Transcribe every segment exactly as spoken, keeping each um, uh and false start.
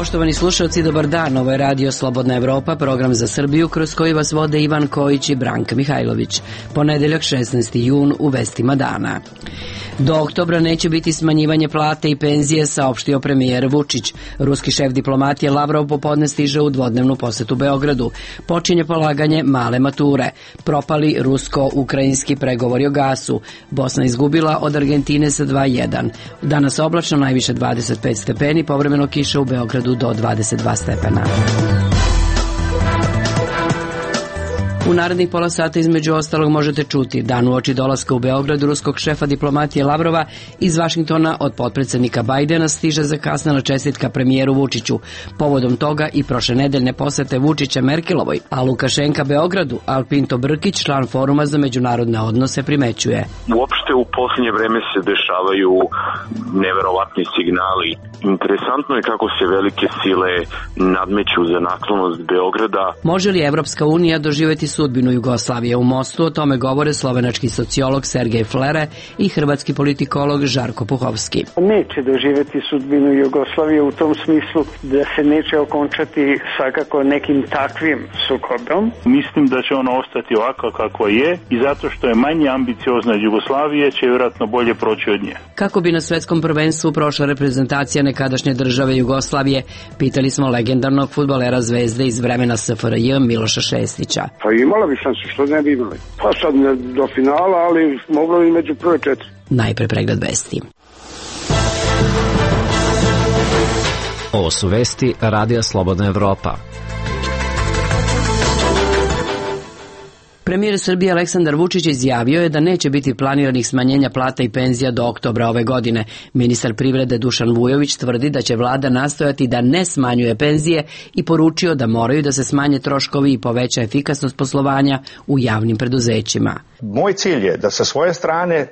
Poštovani slušalci, dobar dan. Ovo je Radio Slobodna Evropa, program za Srbiju kroz koji vas vode Ivan Kojić i Branka Mihajlović. Ponedeljak šesnaesti jun u vestima dana. Do oktobra neće biti smanjivanje plate i penzije, saopštio premijer Vučić. Ruski šef diplomatije Lavrov popodne stiže u dvodnevnu posetu Beogradu. Počinje polaganje male mature. Propali rusko-ukrajinski pregovori o gasu. Bosna izgubila od Argentine sa dva jedan. Danas oblačno, najviše dvadeset pet stepeni, povremeno kiša u Beogradu do dvadeset dva stepena. U narednih pola sata između ostalog možete čuti: dan uoči dolaska u Beograd ruskog šefa diplomatije Lavrova, iz Vašingtona od potpredsednika Bajdena stiže zakasnela čestitka premijeru Vučiću. Povodom toga i prošle nedeljne posete Vučića Merkelovoj, a Lukašenka Beogradu, Alpinto Brkić, član Foruma za međunarodne odnose, primećuje: Uopšte u posljednje vreme se dešavaju neverovatni signali. Interesantno je kako se velike sile nadmeću za naklonost Beograda. Može li Evropska unija doživjeti sudbinu Jugoslavije u Mostu? O tome govore slovenački sociolog Sergej Flere i hrvatski politikolog Žarko Puhovski. Neće doživjeti sudbinu Jugoslavije u tom smislu da se neće okončati svakako nekim takvim sukobom. Mislim da će ono ostati ovako kako je i zato što je manje ambiciozna od Jugoslavije će vjerojatno bolje proći od nje. Kako bi na svetskom prvenstvu prošla reprezentacija nekadašnje države Jugoslavije, pitali smo legendarnog fudbalera Zvezde iz vremena S F R J Miloša Šestića. Pa imala bi šansu, što ne bi imali. Pa sad ne do finala, ali moglo bi među prve četiri. Najpre pregled vesti. Ovo su vesti Radija Slobodna Evropa. Premijer Srbije Aleksandar Vučić izjavio je da neće biti planiranih smanjenja plata i penzija do oktobra ove godine. Ministar privrede Dušan Vujović tvrdi da će vlada nastojati da ne smanjuje penzije i poručio da moraju da se smanje troškovi i poveća efikasnost poslovanja u javnim preduzećima. Moj cilj je da sa svoje strane e,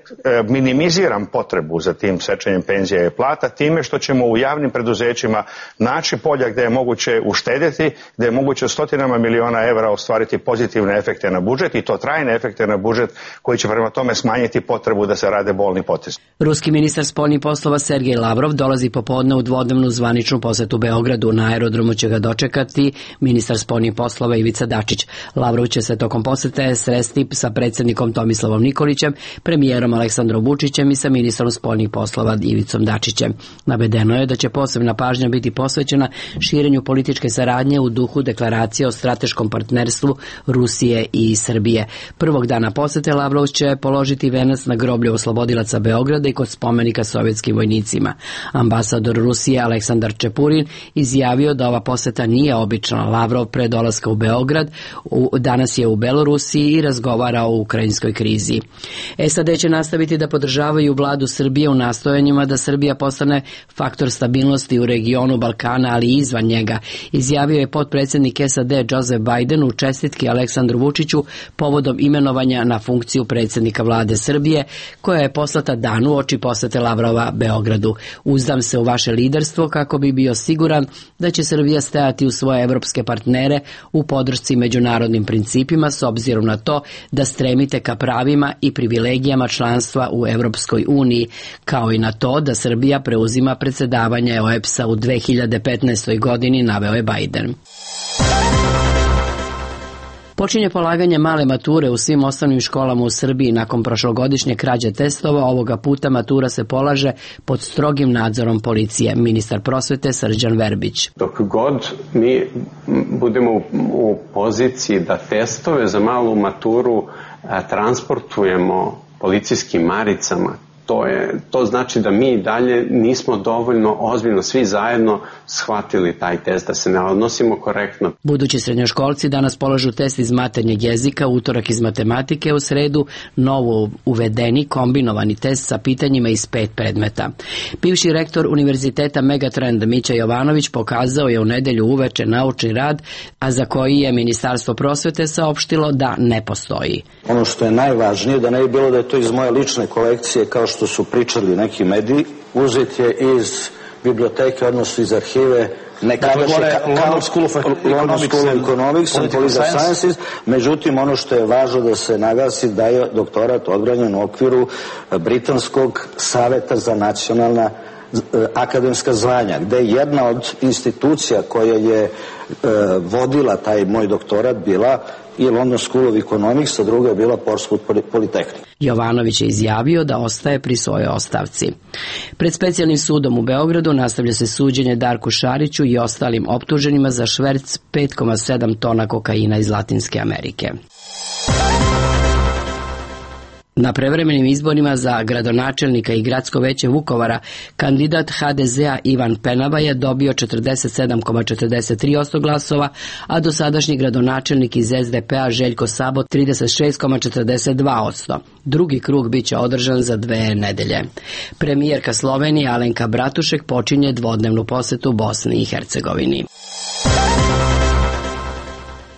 minimiziram potrebu za tim sečenjem penzija i plata time što ćemo u javnim preduzećima naći polja gde je moguće uštedjeti, gde je moguće stotinama miliona evra ostvariti pozitivne efekte na budžet i to trajne efekte na budžet koji će prema tome smanjiti potrebu da se rade bolni potezi. Ruski ministar spoljnih poslova Sergej Lavrov dolazi popodne u dvodnevnu zvaničnu posetu Beogradu. Na aerodromu će ga dočekati ministar spoljnih poslova Ivica Dačić. Lavrov će se tokom posete sresti sa predsjednikom Tomislavom Nikolićem, premijerom Aleksandrom Vučićem i sa ministrom spoljnih poslova Ivicom Dačićem. Navedeno je da će posebna pažnja biti posvećena širenju političke saradnje u duhu deklaracije o strateškom partnerstvu Rusije i Srbije. Prvog dana posete Lavrov će položiti venac na groblje oslobodilaca Beograda i kod spomenika sovjetskim vojnicima. Ambasador Rusije Aleksandar Čepurin izjavio da ova poseta nije obična. Lavrov pre dolaska u Beograd danas je u Belorusiji i razgovara o ukrajinskoj krizi. S A D će nastaviti da podržavaju vladu Srbije u nastojanjima da Srbija postane faktor stabilnosti u regionu Balkana, ali i izvan njega, izjavio je potpredsjednik S A D Joseph Biden u čestitki Aleksandru Vučiću povodom imenovanja na funkciju predsjednika vlade Srbije, koja je poslata dan uoči posete Lavrova Beogradu. Uzdam se u vaše liderstvo kako bi bio siguran da će Srbija stajati u svoje evropske partnere u podršci međunarodnim principima s obzirom na to da stremite ka pravima i privilegijama članstva u Evropskoj uniji, kao i na to da Srbija preuzima predsjedavanje O E B S-a u dve hiljade petnaestoj. godini, naveo je Biden. Počinje polaganje male mature u svim osnovnim školama u Srbiji. Nakon prošlogodišnje krađe testova, ovoga puta matura se polaže pod strogim nadzorom policije. Ministar prosvete Srđan Verbić. Dok god mi budemo u poziciji da testove za malu maturu transportujemo policijskim maricama, To, je, to znači da mi dalje nismo dovoljno ozbiljno svi zajedno shvatili taj test, da se ne odnosimo korektno. Budući srednjoškolci danas polažu test iz maternjeg jezika, utorak iz matematike, u sredu novo uvedeni kombinovani test sa pitanjima iz pet predmeta. Bivši rektor Univerziteta Megatrend Mića Jovanović pokazao je u nedelju uveče naučni rad, a za koji je Ministarstvo prosvete saopštilo da ne postoji. Ono što je najvažnije, da ne bi bilo da je to iz moje lične kolekcije, kao što su pričali neki mediji, uzet je iz biblioteke, odnosno iz arhive neka London School of Economics and Political Sciences, međutim ono što je važno da se naglasi da je doktorat odbranjen u okviru Britanskog saveta za nacionalna akademska zvanja, gde je jedna od institucija koja je e, vodila taj moj doktorat bila i London School of Economics, a druga je bila Portsmouth Polytechnic. Jovanović je izjavio da ostaje pri svojoj ostavci. Pred specijalnim sudom u Beogradu nastavlja se suđenje Darku Šariću i ostalim optuženima za šverc pet zarez sedam tona kokaina iz Latinske Amerike. Na prevremenim izborima za gradonačelnika i gradsko veće Vukovara kandidat ha de zea Ivan Penava je dobio četrdeset sedam zarez četrdeset tri posto glasova, a dosadašnji gradonačelnik iz es de pe a Željko Sabo trideset šest zarez četrdeset dva posto. Drugi krug biće održan za dve nedelje. Premijerka Slovenije Alenka Bratušek počinje dvodnevnu posetu Bosni i Hercegovini.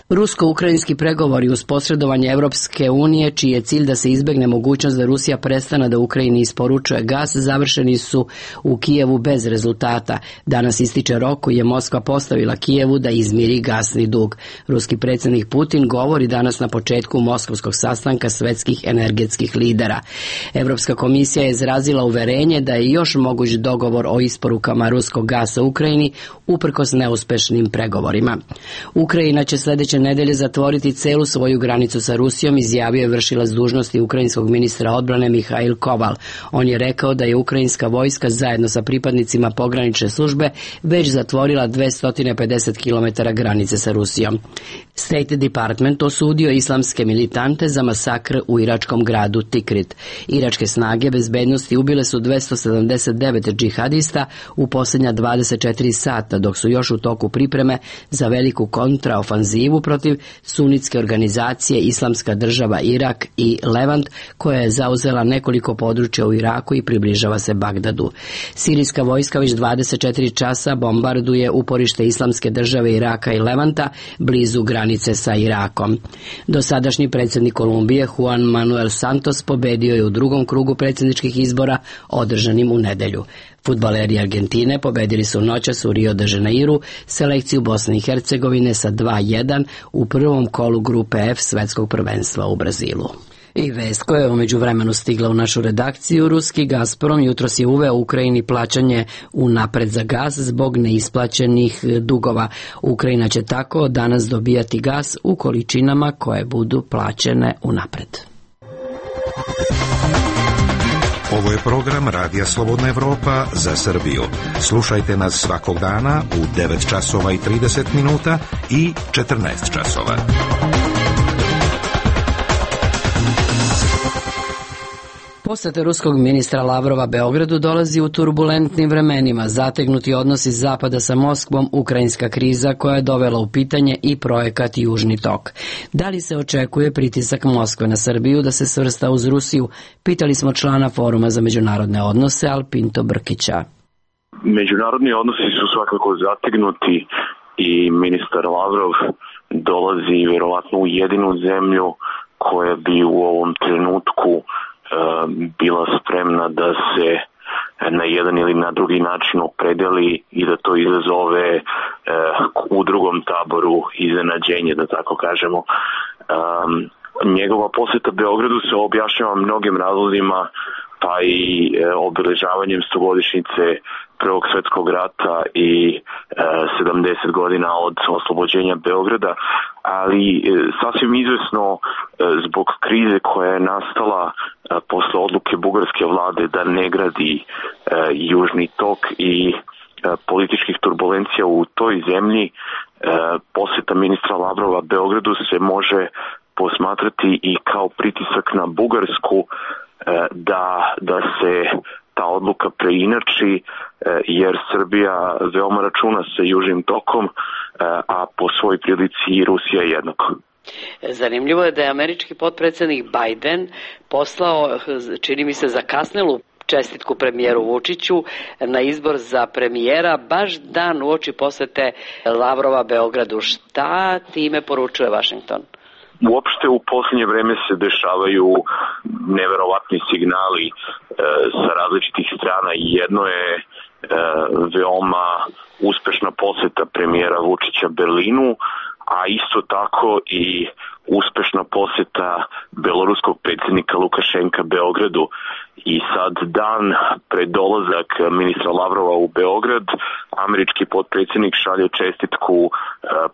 Rusko-ukrajinski pregovori uz posredovanje Evropske unije, čiji je cilj da se izbegne mogućnost da Rusija prestane da Ukrajini isporučuje gas, završeni su u Kijevu bez rezultata. Danas ističe rok koji je Moskva postavila Kijevu da izmiri gasni dug. Ruski predsjednik Putin govori danas na početku moskovskog sastanka svetskih energetskih lidera. Evropska komisija je izrazila uverenje da je još moguć dogovor o isporukama ruskog gasa Ukrajini uprkos neuspešnim pregovorima. Ukrajina će sljedeće nedelje zatvoriti celu svoju granicu sa Rusijom, izjavio je vršilac dužnosti ukrajinskog ministra odbrane Mihail Koval. On je rekao da je ukrajinska vojska zajedno sa pripadnicima pogranične službe već zatvorila dvesta pedeset kilometara granice sa Rusijom. State Department osudio islamske militante za masakr u iračkom gradu Tikrit. Iračke snage bezbednosti ubile su dvesta sedamdeset devet džihadista u posljednja dvadeset četiri sata, dok su još u toku pripreme za veliku kontraofanzivu protiv sunitske organizacije Islamska država Irak i Levant, koja je zauzela nekoliko područja u Iraku i približava se Bagdadu. Sirijska vojska već dvadeset četiri časa bombarduje uporište Islamske države Iraka i Levanta blizu granice sa Irakom. Dosadašnji predsjednik Kolumbije Juan Manuel Santos pobedio je u drugom krugu predsjedničkih izbora održanim u nedelju. Fudbaleri Argentine pobedili su noćas u Rio de Janeiru selekciju Bosne i Hercegovine sa dva jedan u prvom kolu grupe F svetskog prvenstva u Brazilu. I vest koja je umeđu vremenu stigla u našu redakciju, ruski Gazprom jutros je uveo Ukrajini plaćanje unapred za gas zbog neisplaćenih dugova. Ukrajina će tako danas dobijati gas u količinama koje budu plaćene unapred. Ovo je program Radija Slobodna Evropa za Srbiju. Slušajte nas svakog dana u devet časova i trideset minuta i četrnaest časova. Poseta ruskog ministra Lavrova Beogradu dolazi u turbulentnim vremenima. Zategnuti odnosi Zapada sa Moskvom, ukrajinska kriza koja je dovela u pitanje i projekat Južni tok. Da li se očekuje pritisak Moskve na Srbiju da se svrsta uz Rusiju? Pitali smo člana Foruma za međunarodne odnose Alpinto Brkića. Međunarodni odnosi su svakako zategnuti i ministar Lavrov dolazi vjerovatno u jedinu zemlju koja bi u ovom trenutku bila spremna da se na jedan ili na drugi način opredeli i da to izazove eh, u drugom taboru iznenađenje, da tako kažemo. Um, njegova posjeta Beogradu se objašnjava mnogim razlozima, pa i eh, obeležavanjem stogodišnjice Prvog svjetskog rata i eh, sedamdeset godina od oslobođenja Beograda, ali eh, sasvim izvesno eh, zbog krize koja je nastala eh, posle odluke bugarske vlade da ne gradi eh, Južni tok i eh, političkih turbulencija u toj zemlji, eh, posjeta ministra Lavrova Beogradu se može posmatrati i kao pritisak na Bugarsku eh, da, da se ta odluka preinači, jer Srbija veoma računa sa Južnim tokom, a po svoj prilici i Rusija jednako. Zanimljivo je da je američki potpredsjednik Biden poslao, čini mi se, zakasnelu čestitku premijeru Vučiću na izbor za premijera baš dan uoči posete Lavrova Beogradu. Šta time poručuje Washington? Uopšte u posljednje vreme se dešavaju neverovatni signali e, sa različitih strana i jedno je e, veoma uspešna poseta premijera Vučića Berlinu, a isto tako i uspešna poseta beloruskog predsjednika Lukašenka Beogradu. I sad dan pred dolazak ministra Lavrova u Beograd, američki potpredsjednik šalje čestitku e,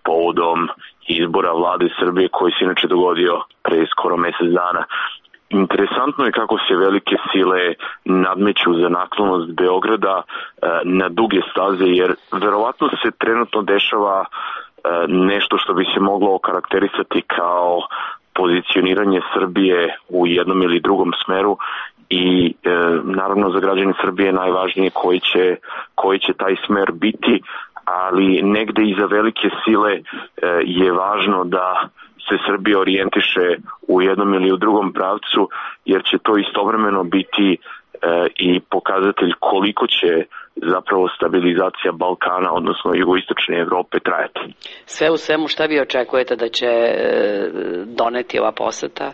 povodom izbora vlade Srbije koji se inače dogodio pre skoro mesec dana. Interesantno je kako se velike sile nadmeću za naklonost Beograda e, na duge staze, jer verovatno se trenutno dešava e, nešto što bi se moglo okarakterisati kao pozicioniranje Srbije u jednom ili drugom smeru i e, naravno za građane Srbije najvažnije koji će, koji će taj smer biti, ali negde i za velike sile e, je važno da se Srbija orijentiše u jednom ili u drugom pravcu, jer će to istovremeno biti e, i pokazatelj koliko će zapravo stabilizacija Balkana, odnosno jugoistočne Evrope, trajati. Sve u svemu, šta vi očekujete da će doneti ova poseta?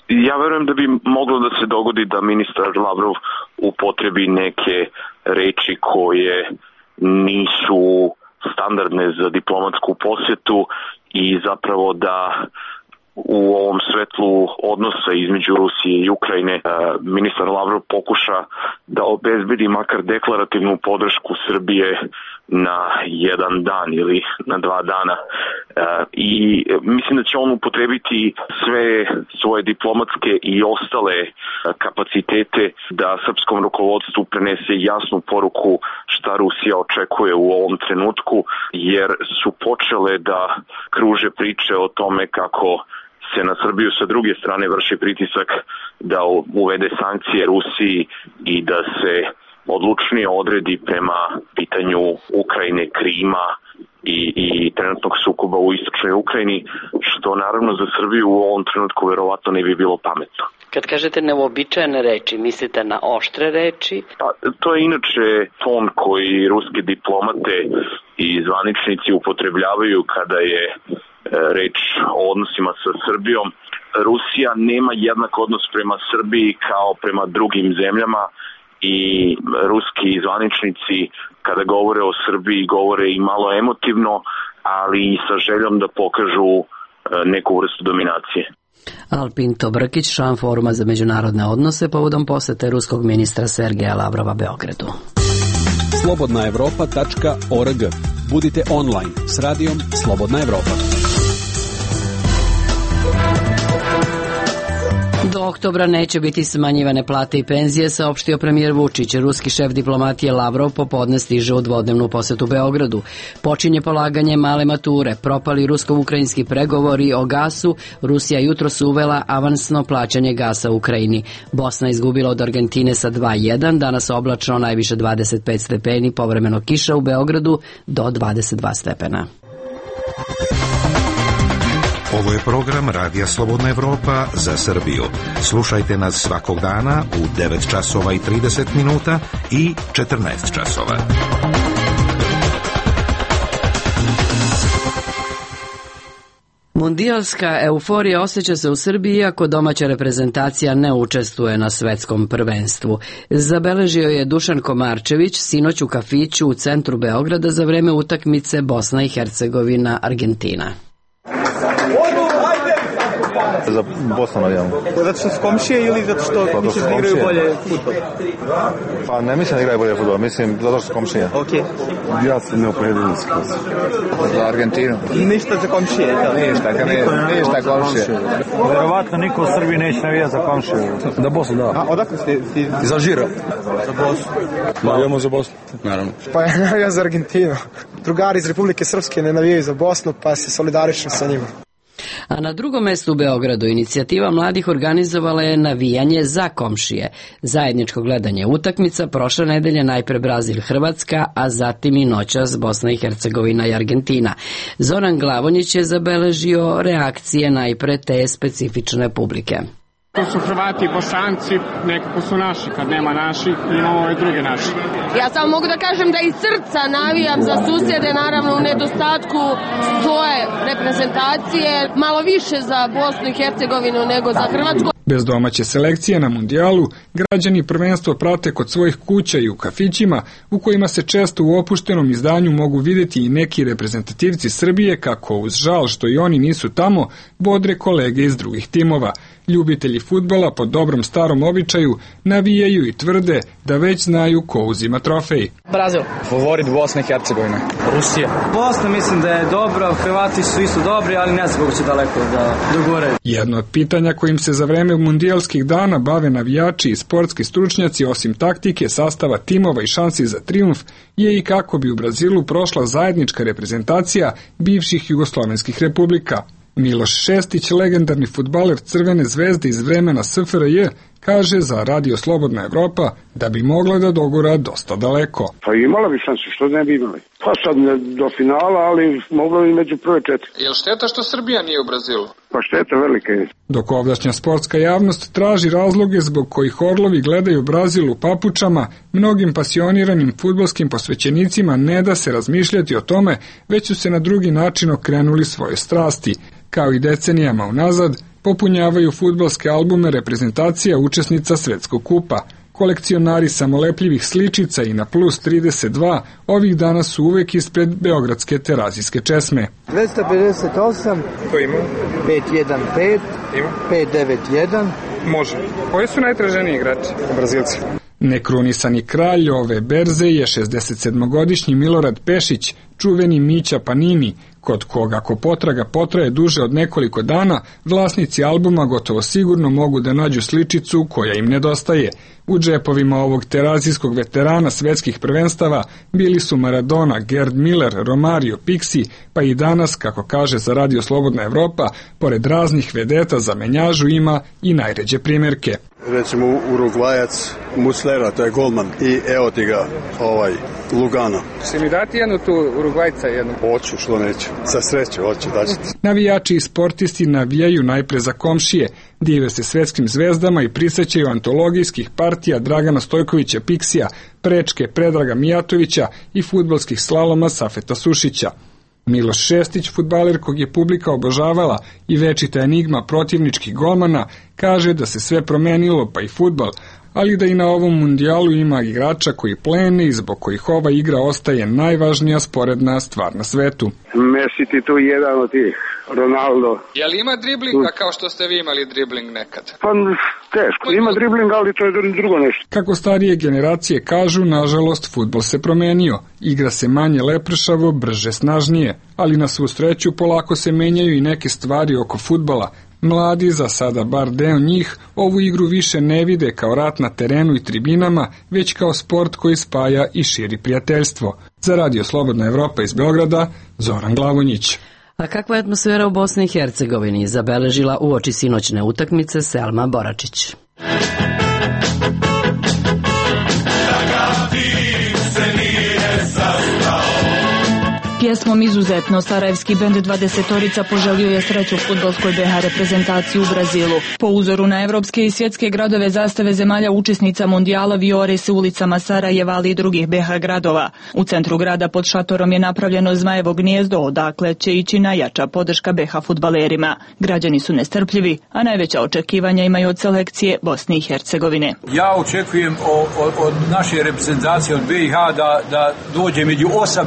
Ja verujem da bi moglo da se dogodi da ministar Lavrov upotrebi neke reči koje nisu standardne za diplomatsku posetu i zapravo da u ovom svetlu odnosa između Rusije i Ukrajine ministar Lavrov pokuša da obezbedi makar deklarativnu podršku Srbije na jedan dan ili na dva dana. I mislim da će on upotrebiti sve svoje diplomatske i ostale kapacitete da srpskom rukovodstvu prenese jasnu poruku šta Rusija očekuje u ovom trenutku, jer su počele da kruže priče o tome kako se na Srbiju sa druge strane vrši pritisak da uvede sankcije Rusiji i da se odlučnije odredi prema pitanju Ukrajine, Krima i, i trenutnog sukoba u istočnoj Ukrajini, što naravno za Srbiju u ovom trenutku verovatno ne bi bilo pametno. Kad kažete neuobičajene reči, mislite na oštre reči? Pa, to je inače ton koji ruske diplomate i zvaničnici upotrebljavaju kada je reč o odnosima sa Srbijom. Rusija nema jednak odnos prema Srbiji kao prema drugim zemljama i ruski zvaničnici kada govore o Srbiji govore i malo emotivno, ali i sa željom da pokažu neku vrstu dominacije. Alpinto Brkić, član Foruma za međunarodne odnose povodom posete ruskog ministra Sergeja Lavrova Beogradu. slobodna evropa tačka org. Budite online s radijom Slobodna Evropa. Do oktobra neće biti smanjivane plate i penzije, saopštio premijer Vučić. Ruski šef diplomatije Lavrov popodne stiže u dvodnevnu posetu Beogradu. Počinje polaganje male mature. Propali rusko-ukrajinski pregovori o gasu. Rusija jutros uvela avansno plaćanje gasa u Ukrajini. Bosna izgubila od Argentine sa dva jedan. Danas oblačno, najviše dvadeset pet stepeni, povremeno kiša u Beogradu do dvadeset dva stepena. Ovo je program Radija Slobodna Evropa za Srbiju. Slušajte nas svakog dana u devet časova i trideset minuta i četrnaest časova. Mundijalska euforija osjeća se u Srbiji iako domaća reprezentacija ne učestvuje na svetskom prvenstvu. Zabeležio je Dušan Komarčević sinoć u kafiću u centru Beograda za vreme utakmice Bosna i Hercegovina Argentina. Za Bosnu navijamo. Zato što su komšije ili zato što pa, misliš da igraju bolje futbol? Pa ne mislim da igraju bolje futbol, mislim zato što su komšije. Okay. Ja se ne opredelim skroz. Za Argentinu. Ništa za komšije? Ništa, ka ne, ništa komšije. Verovatno niko u Srbiji neće navijati za komšije. Da Bosnu, da. A odakle ste? Ti... Za Žira. Za Bosnu. Navijamo za Bosnu. Naravno. Pa ja navijam za Argentinu. Drugari iz Republike Srpske ne navijaju za Bosnu, pa se solidarišem sa njima. A na drugom mestu u Beogradu inicijativa mladih organizovala je navijanje za komšije. Zajedničko gledanje utakmica prošle nedelje najpre Brazil-Hrvatska, a zatim i noćas Bosna i Hercegovina i Argentina. Zoran Glavonjić je zabeležio reakcije najpre te specifične publike. To su Hrvati i Bosanci, nekako su naši, kad nema naših, imamo ove druge naši. Ja samo mogu da kažem da iz srca navijam za susjede, naravno u nedostatku svoje reprezentacije, malo više za Bosnu i Hercegovinu nego za Hrvatsku. Bez domaće selekcije na mundijalu, građani prvenstvo prate kod svojih kuća i u kafićima, u kojima se često u opuštenom izdanju mogu vidjeti i neki reprezentativci Srbije kako uz žal što i oni nisu tamo, bodre kolege iz drugih timova. Ljubitelji fudbala po dobrom starom običaju navijaju i tvrde da već znaju ko uzima trofej. Brazil. Favorit Bosne i Hercegovine. Rusija. Bosna mislim da je dobra, Hrvati su isto dobri, ali ne znam kako će daleko da dogore. Jedno od pitanja kojim se za vreme mundijalskih dana bave navijači i sportski stručnjaci, osim taktike, sastava timova i šansi za trijumf, je i kako bi u Brazilu prošla zajednička reprezentacija bivših jugoslovenskih republika. Miloš Šestić, legendarni fudbaler Crvene zvezde iz vremena S F R J, kaže za Radio Slobodna Evropa da bi mogla da dogura dosta daleko. Pa imala bi šansu, što ne bi imali. Pa sad ne do finala, ali mogla bi među prve četiri. Je li šteta što Srbija nije u Brazilu? Pa šteta velika je. Dok ovdašnja sportska javnost traži razloge zbog kojih orlovi gledaju Brazil u papučama, mnogim pasioniranim fudbalskim posvećenicima ne da se razmišljati o tome, već su se na drugi način okrenuli svoje strasti. Kao i decenijama unazad, popunjavaju fudbalske albume reprezentacija učesnica Svetskog kupa. Kolekcionari samolepljivih sličica i na plus trideset dva ovih dana su uvek ispred beogradske terazijske česme. dvesta pedeset osam, ko ima? pet jedan pet, ima? pet devet jedan. Može. Koji su najtraženiji igrači? Brazilci. Nekrunisani kralj ove berze je šezdesetsedmogodišnji Milorad Pešić, čuveni Mića Panini, kod koga ako potraga potraje duže od nekoliko dana, vlasnici albuma gotovo sigurno mogu da nađu sličicu koja im nedostaje. U džepovima ovog terazijskog veterana svetskih prvenstava bili su Maradona, Gerd Miller, Romario, Pixi, pa i danas, kako kaže za Radio Slobodna Evropa, pored raznih vedeta za menjažu ima i najređe primjerke. Recimo Urugvajac Muslera, to je golman, i evo ti ga, ovaj, Lugano. Si mi dati jednu tu Urugvajca jednu? Hoću, što neću. Sa sreću, hoću, daći ti. Navijači i sportisti navijaju najpre za komšije, dive se svetskim zvezdama i prisećaju antologijskih partija Dragana Stojkovića Pixija, Prečke Predraga Mijatovića i fudbalskih slaloma Safeta Sušića. Miloš Šestić, fudbaler kog je publika obožavala i večita enigma protivničkih golmana, kaže da se sve promenilo, pa i fudbal, ali da i na ovom mundijalu ima igrača koji plene i zbog kojih ova igra ostaje najvažnija sporedna stvar na svetu. Messi ti tu jedan od tih, Ronaldo. Je li ima driblinga kao što ste vi imali dribling nekad? Pa teško, ima dribling, ali to je drugo nešto. Kako starije generacije kažu, nažalost, fudbal se promenio. Igra se manje lepršavo, brže, snažnije, ali na svu sreću polako se menjaju i neke stvari oko fudbala. Mladi, za sada bar deo njih, ovu igru više ne vide kao rat na terenu i tribinama, već kao sport koji spaja i širi prijateljstvo. Za Radio Slobodna Evropa iz Beograda, Zoran Glavonjić. A kakva je atmosfera u Bosni i Hercegovini zabeležila uoči sinoćne utakmice Selma Boračić. Pjesmom Izuzetno sarajevski bend dvadesetorica poželio je sreću fudbalskoj B H reprezentaciji u Brazilu. Po uzoru na evropske i svjetske gradove zastave zemalja učesnica mundijala vijore se ulicama Sarajeva, ali i drugih B H gradova. U centru grada pod šatorom je napravljeno zmajevo gnijezdo, odakle će ići najjača podrška B H fudbalerima. Građani su nestrpljivi, a najveća očekivanja imaju od selekcije Bosne i Hercegovine. Ja očekujem od, od naše reprezentacije, od B i H, da, da dođe među osam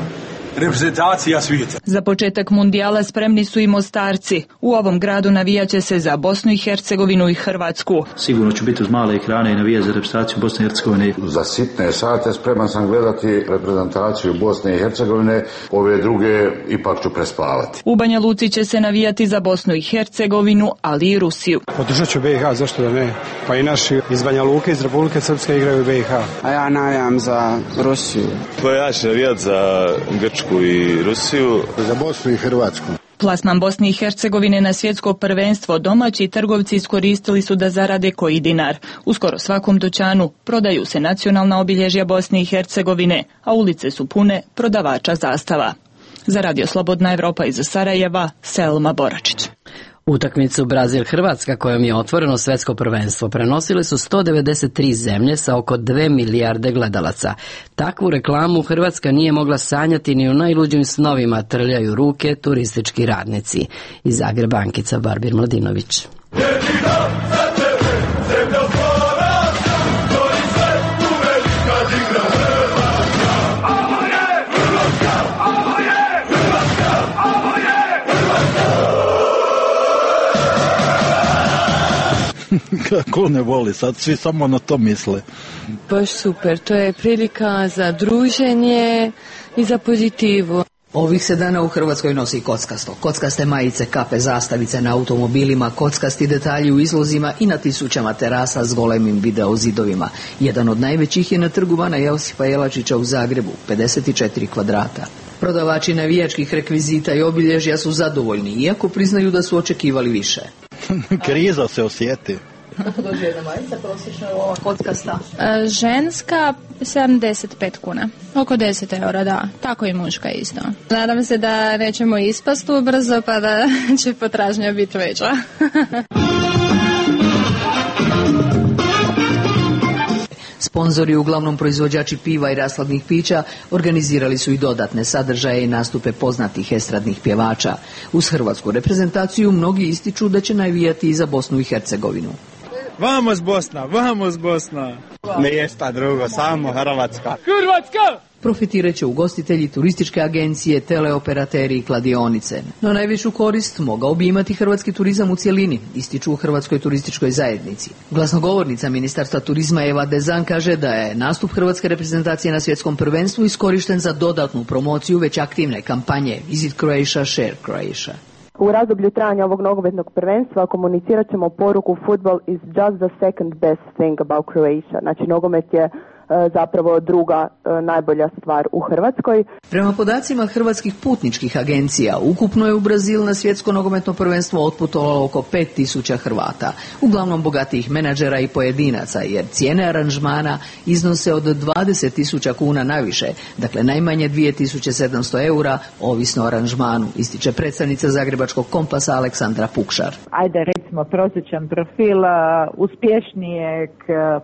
reprezentacija svijeta. Za početak mundijala spremni su i Mostarci. U ovom gradu navijaće se za Bosnu i Hercegovinu i Hrvatsku. Sigurno ću biti uz male ekrane i navijati za reprezentaciju Bosne i Hercegovine. Za sitne sate spreman sam gledati reprezentaciju Bosne i Hercegovine, ove druge ipak ću prespavati. U Banja Luci će se navijati za Bosnu i Hercegovinu, ali i Rusiju. Podržat ću B i H, zašto da ne? Pa i naši iz Banja Luke, iz Republike Srpske igraju B i H. A ja navijam za Rusiju. Pa ja ću navijati za Grčku i Rusiju. Za Bosnu i Hrvatsku. Plasman Bosne i Hercegovine na svjetsko prvenstvo domaći trgovci iskoristili su da zarade koji dinar. U skoro svakom dućanu prodaju se nacionalna obilježja Bosne i Hercegovine, a ulice su pune prodavača zastava. Za Radio Slobodna Evropa iz Sarajeva, Selma Boračić. Utakmicu Brazil-Hrvatska kojom je otvoreno svetsko prvenstvo prenosile su sto devedeset tri zemlje sa oko dve milijarde gledalaca. Takvu reklamu Hrvatska nije mogla sanjati ni u najluđim snovima, trljaju ruke turistički radnici. Iz Zagreba Ankica Barbir Mladinović. Ko ne voli, sad svi samo na to misle. Baš super, to je prilika za druženje i za pozitivu. Ovih se dana u Hrvatskoj nosi kockasto. Kockaste majice, kape, zastavice na automobilima, kockasti detalji u izlozima i na tisućama terasa s golemim videozidovima. Jedan od najvećih je na trgu Bana Josipa Jelačića u Zagrebu, pedeset četiri kvadrata. Prodavači navijačkih rekvizita i obilježja su zadovoljni, iako priznaju da su očekivali više. Kriza se osjeti. Kako dođe jedna majica, prosječno je ova kockasta? E, ženska sedamdeset pet kuna, oko deset eura, da, tako i muška isto. Nadam se da nećemo ispast ubrzo pa da će potražnja biti veća. Sponzori, uglavnom proizvođači piva i rashladnih pića, organizirali su i dodatne sadržaje i nastupe poznatih estradnih pjevača. Uz hrvatsku reprezentaciju mnogi ističu da će navijati i za Bosnu i Hercegovinu. Vamos Bosna, vamos Bosna. Ništa drugo, samo Hrvatska. Hrvatska! Profitirat će ugostitelji, turističke agencije, teleoperateri i kladionice. No najvišu korist mogao bi imati hrvatski turizam u cjelini, ističu u Hrvatskoj turističkoj zajednici. Glasnogovornica Ministarstva turizma Eva Dezan kaže da je nastup hrvatske reprezentacije na svjetskom prvenstvu iskorišten za dodatnu promociju već aktivne kampanje Visit Croatia, Share Croatia. U razdoblju trajanja ovog nogometnog prvenstva komunicirat ćemo poruku Football is just the second best thing about Croatia. Znači nogomet je zapravo druga najbolja stvar u Hrvatskoj. Prema podacima hrvatskih putničkih agencija, ukupno je u Brazil na svjetsko nogometno prvenstvo otputovalo oko pet tisuća Hrvata, uglavnom bogatijih menadžera i pojedinaca, jer cijene aranžmana iznose od dvadeset tisuća kuna naviše, dakle najmanje dvije tisuće sedamsto eura, ovisno o aranžmanu, ističe predstavnica Zagrebačkog Kompasa Aleksandra Pukšar. Ajde recimo prosječan profil uspješnijeg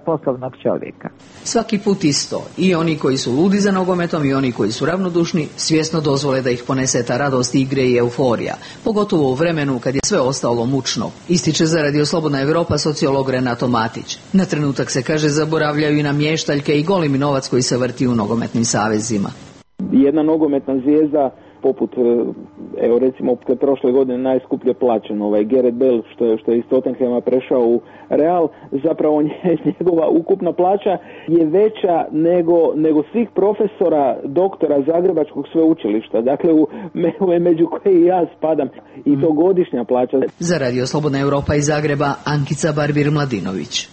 poslovnog čovjeka. Svaki put isto. I oni koji su ludi za nogometom i oni koji su ravnodušni svjesno dozvole da ih ponese ta radost igre i euforija, pogotovo u vremenu kad je sve ostalo mučno, ističe za Radio Slobodna Evropa sociolog Renato Matić. Na trenutak se kaže zaboravljaju i na mještaljke i golemi novac koji se vrti u nogometnim savezima. Jedna nogometna zvijezda poput, evo recimo prošle godine najskuplje plaćen ovaj Gareth Bale što je, što je iz Tottenhama prešao u Real, zapravo njegova ukupna plaća je veća nego, nego svih profesora, doktora Zagrebačkog sveučilišta, dakle u, među koje i ja spadam, i to godišnja plaća. Za Radio Slobodna Evropa iz Zagreba, Ankica Barbir-Mladinović.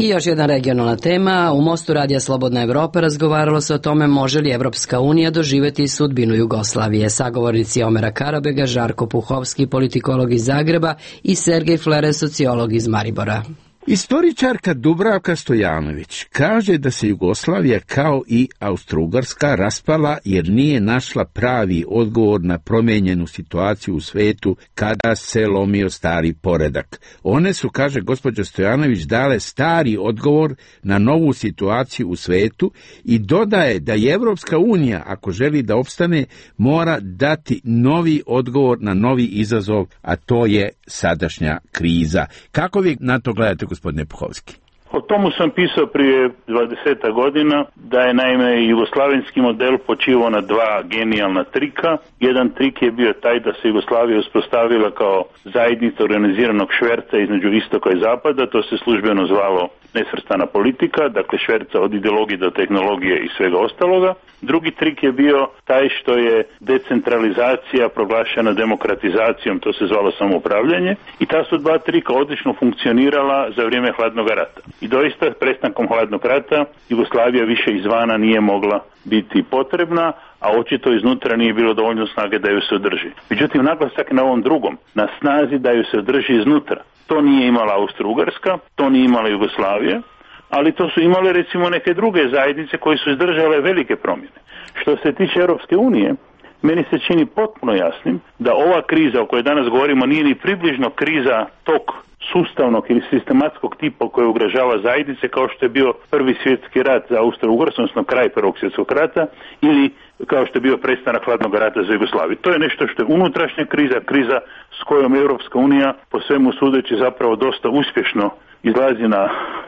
I još jedna regionalna tema. U Mostu Radija Slobodna Evropa razgovaralo se o tome može li Evropska unija doživjeti sudbinu Jugoslavije. Sagovornici Omera Karabega, Žarko Puhovski, politikolog iz Zagreba, i Sergej Flere, sociolog iz Maribora. Istoričarka Dubravka Stojanović kaže da se Jugoslavija kao i Austro-Ugarska raspala jer nije našla pravi odgovor na promijenjenu situaciju u svetu kada se lomio stari poredak. One su, kaže gospođa Stojanović, dale stari odgovor na novu situaciju u svetu i dodaje da je Evropska unija, ako želi da opstane, mora dati novi odgovor na novi izazov, a to je sadašnja kriza. Kako vi na to gledate, gospodine Puhovski? O tomu sam pisao prije dvadeset godina, da je naime jugoslavenski model počivao na dva genijalna trika. Jedan trik je bio taj da se Jugoslavija uspostavila kao zajednica organiziranog šverca između istoka i zapada, to se službeno zvalo nesvrstana politika, dakle šverca od ideologije do tehnologije i svega ostaloga. Drugi trik je bio taj što je decentralizacija proglašena demokratizacijom, to se zvalo samoupravljanje, i ta su dva trika odlično funkcionirala za vrijeme hladnog rata. I doista prestankom hladnog rata Jugoslavija više izvana nije mogla biti potrebna, a očito iznutra nije bilo dovoljno snage da ju se održi. Međutim, naglasak na ovom drugom, na snazi da ju se održi iznutra. To nije imala Austro-Ugarska, to nije imala Jugoslavija, ali to su imale recimo neke druge zajednice koje su izdržale velike promjene. Što se tiče Europske unije, meni se čini potpuno jasnim da ova kriza o kojoj danas govorimo nije ni približno kriza tog sustavnog ili sistematskog tipa koji ugrožava zajednice kao što je bio prvi svjetski rat za Austro-Ugarsku, odnosno kraj prvog svjetskog rata, ili kao što je bio prestanak hladnog rata za Jugoslaviju. To je nešto što je unutrašnja kriza, kriza s kojom Europska unija po svemu sudeći zapravo dosta uspješno izlazi na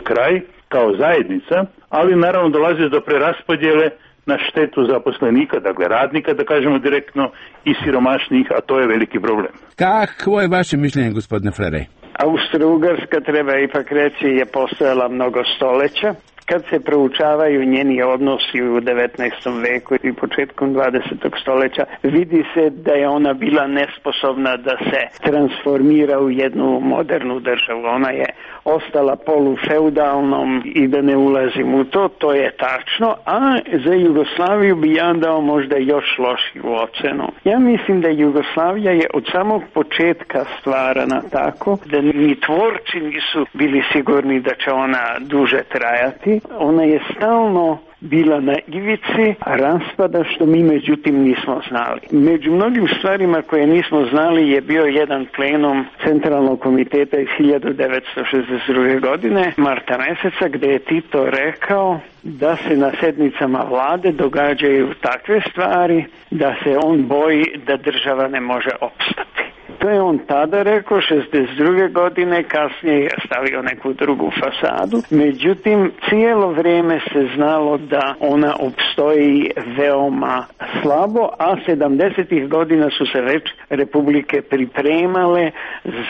kraj kao zajednica, ali naravno dolazi do preraspodjele na štetu zaposlenika, dakle radnika, da kažemo direktno, i siromašnih, a to je veliki problem. Kakvo je vaše mišljenje, gospodine Flerej? Austro-Ugarska, treba ipak reći, je postojala mnogo stoleća. Kad se proučavaju njeni odnosi u devetnaestom veku i početkom dvadesetog stoljeća, vidi se da je ona bila nesposobna da se transformira u jednu modernu državu. Ona je ostala polufeudalnom i da ne ulazim u to, to je tačno, a za Jugoslaviju bi ja dao možda još lošiju ocenu. Ja mislim da Jugoslavija je od samog početka stvarana tako da ni tvorci nisu bili sigurni da će ona duže trajati. Ona je stalno bila na ivici raspada, što mi međutim nismo znali. Među mnogim stvarima koje nismo znali je bio jedan plenum Centralnog komiteta iz hiljadu devetsto šezdeset druge. godine, marta meseca, gdje je Tito rekao da se na sednicama vlade događaju takve stvari da se on boji da država ne može opstati. To je on tada rekao, šezdeset druge. godine, kasnije je stavio neku drugu fasadu. Međutim, cijelo vrijeme se znalo da ona opstoji veoma slabo, a sedamdesetih godina su se već republike pripremale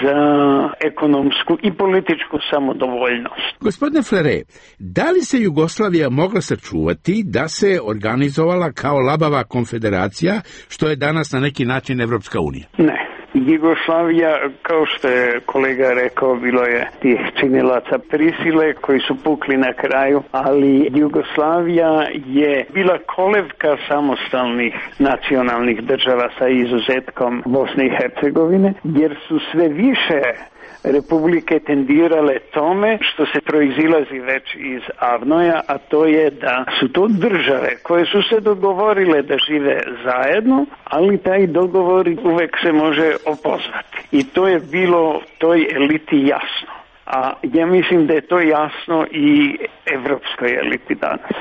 za ekonomsku i političku samodovoljnost. Gospodine Flerej, da li se Jugoslavija mogla sačuvati da se organizovala kao labava konfederacija, što je danas na neki način Evropska unija? Ne. Jugoslavija, kao što je kolega rekao, bilo je tih činilaca prisile koji su pukli na kraju, ali Jugoslavija je bila kolevka samostalnih nacionalnih država sa izuzetkom Bosne i Hercegovine, jer su sve više republike tendirale tome što se proizilazi već iz Avnoja, a to je da su to države koje su se dogovorile da žive zajedno, ali taj dogovor uvek se može opozvati. I to je bilo toj eliti jasno. A ja mislim da je to jasno i evropskoj eliti danas.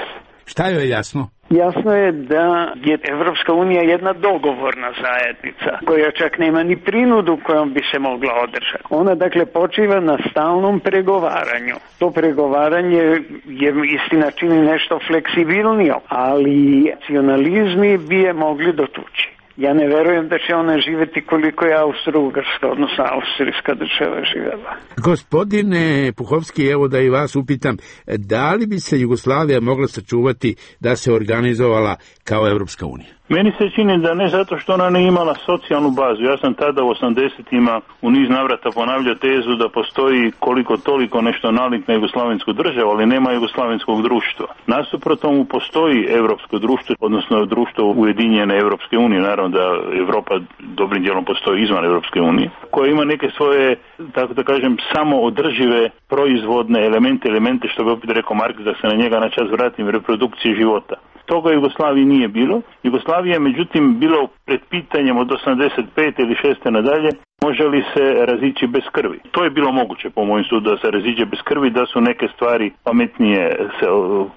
Šta je jasno? Jasno je da je Evropska unija jedna dogovorna zajednica koja čak nema ni prinudu kojom bi se mogla održati. Ona dakle počiva na stalnom pregovaranju. To pregovaranje je istina čini nešto fleksibilnije, ali nacionalizmi bi je mogli dotući. Ja ne verujem da će ona živjeti koliko je Austro-Ugarska, odnosno austrijska država živjela. Gospodine Puhovski, evo da i vas upitam, da li bi se Jugoslavija mogla sačuvati da se organizovala kao Evropska unija? Meni se čini da ne zato što ona ne imala socijalnu bazu. Ja sam tada u osamdesetima u niz navrata ponavljao tezu da postoji koliko toliko nešto nalik na jugoslavensku državu, ali nema jugoslavenskog društva. Nasuprot tomu postoji evropsko društvo, odnosno društvo Ujedinjene Evropske unije, naravno da Evropa dobrim dijelom postoji izvan Evropske unije, koja ima neke svoje, tako da kažem, samo održive proizvodne elemente, elemente što bi opet rekao Marks, da se na njega na čas vratim, reprodukcije života. Toga Jugoslaviji nije bilo. Jugoslavija je međutim bilo pred pitanjem od osamdeset pete ili šeste nadalje, može li se razići bez krvi. To je bilo moguće po mojem sudu da se raziđe bez krvi, da su neke stvari pametnije se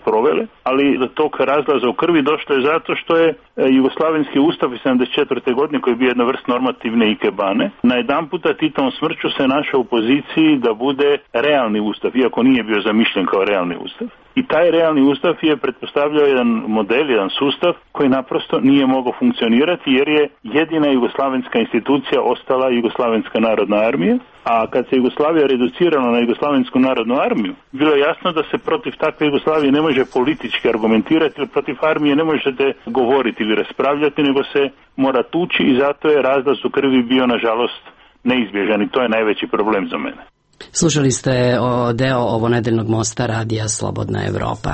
provele, ali do tog razlaza u krvi došlo je zato što je Jugoslavenski ustav iz sedamdeset četvrte. godine, koji je bio jedna vrst normativne ikebane, na jedan puta Titovom smrću se našao u poziciji da bude realni ustav, iako nije bio zamišljen kao realni ustav. I taj realni ustav je pretpostavljao jedan model, jedan sustav koji naprosto nije mogao funkcionirati jer je jedina jugoslavenska institucija ostala Jugoslavenska narodna armija, a kad se Jugoslavija reducirala na Jugoslavensku narodnu armiju, bilo je jasno da se protiv takve Jugoslavije ne može politički argumentirati, ili protiv armije ne možete govoriti ili raspravljati, nego se mora tući i zato je razlaz u krvi bio nažalost neizbježan i to je najveći problem za mene. Slušali ste o deo ovonedeljnog mosta radija Slobodna Evropa.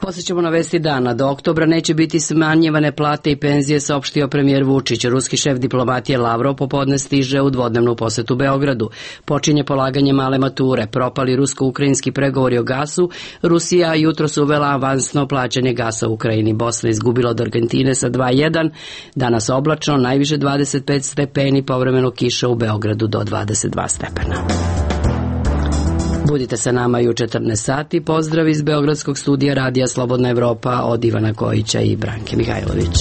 Posjećamo na vesti dana. Do oktobra neće biti smanjivane plate i penzije, saopštio premijer Vučić. Ruski šef diplomatije Lavrov popodne stiže u dvodnevnu posetu Beogradu. Počinje polaganje male mature. Propali rusko-ukrajinski pregovori o gasu. Rusija jutros uvela avansno plaćanje gasa u Ukrajini. Bosna izgubila od Argentine sa dva jedan. Danas oblačno, najviše dvadeset pet stepeni, povremeno kiša u Beogradu do dvadeset dva stepena. Budite sa nama i u četrnaest sati. Pozdrav iz Beogradskog studija radija Slobodna Evropa od Ivana Kojića i Branke Mihajlović.